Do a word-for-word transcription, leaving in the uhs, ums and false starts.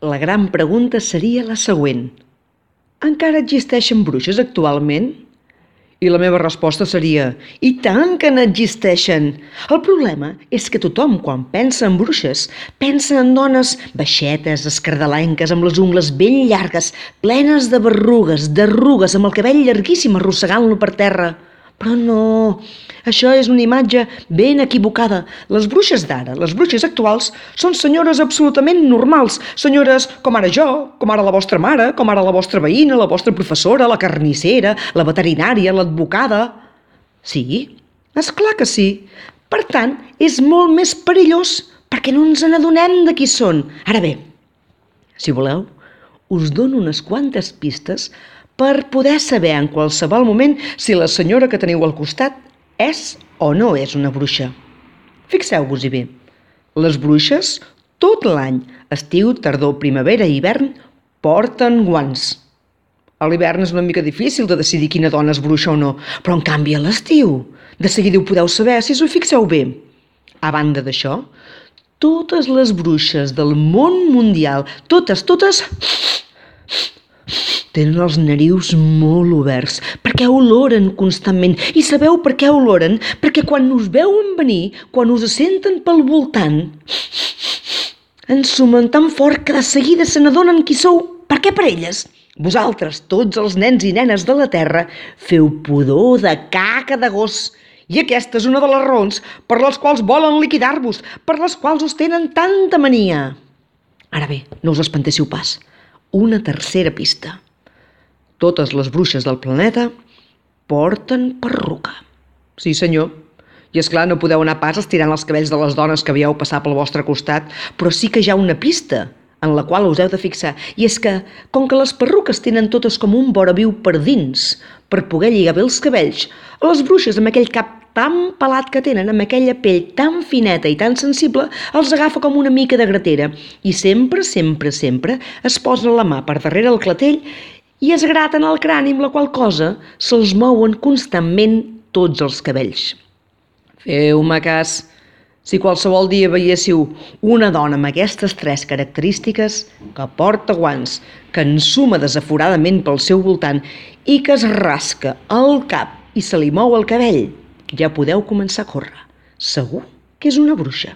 La gran pregunta seria la següent. Encara existeixen bruixes actualment? I la meva resposta seria, i tant que n'existeixen! El problema és que tothom, quan pensa en bruixes, pensa en dones baixetes, escardalenques, amb les ungles ben llargues, plenes de berrugues, d'arrugues, amb el cabell llarguíssim arrossegant-lo per terra. Però no, això és una imatge ben equivocada. Les bruixes d'ara, les bruixes actuals, són senyores absolutament normals. Senyores com ara jo, com ara la vostra mare, com ara la vostra veïna, la vostra professora, la carnissera, la veterinària, l'advocada. Sí, és clar que sí. Per tant, és molt més perillós perquè no ens n'adonem de qui són. Ara bé, si voleu, us dono unes quantes pistes per poder saber en qualsevol moment si la senyora que teniu al costat és o no és una bruixa. Fixeu-vos-hi bé. Les bruixes, tot l'any, estiu, tardor, primavera i hivern, porten guants. A l'hivern és una mica difícil de decidir quina dona és bruixa o no, però en canvi a l'estiu, de seguida ho podeu saber si us ho fixeu bé. A banda d'això, totes les bruixes del món mundial, totes, totes, tenen els narius molt oberts, perquè oloren constantment. I sabeu per què oloren? Perquè quan us veuen venir, quan us senten pel voltant, ensumen tan fort que de seguida se n'adonen qui sou. Per què per elles? Vosaltres, tots els nens i nenes de la Terra, feu pudor de caca de gos. I aquesta és una de les raons per les quals volen liquidar-vos, per les quals us tenen tanta mania. Ara bé, no us espantéssiu pas. Una tercera pista. Totes les bruixes del planeta porten perruca. Sí, senyor. I és clar, no podeu anar pas estirant els cabells de les dones que veieu passar pel vostre costat, però sí que hi ha una pista en la qual us heu de fixar. I és que, com que les perruques tenen totes com un vora viu per dins, per poder lligar bé els cabells, les bruixes amb aquell cap tan pelat que tenen, amb aquella pell tan fineta i tan sensible, els agafa com una mica de gratera. I sempre, sempre, sempre es posen la mà per darrere el clatell i es graten el crani, amb la qual cosa se'ls mouen constantment tots els cabells. Feu-me cas. Si qualsevol dia veiéssiu una dona amb aquestes tres característiques, que porta guants, que ensuma desaforadament pel seu voltant i que es rasca el cap i se li mou el cabell, ja podeu començar a córrer. Segur que és una bruixa.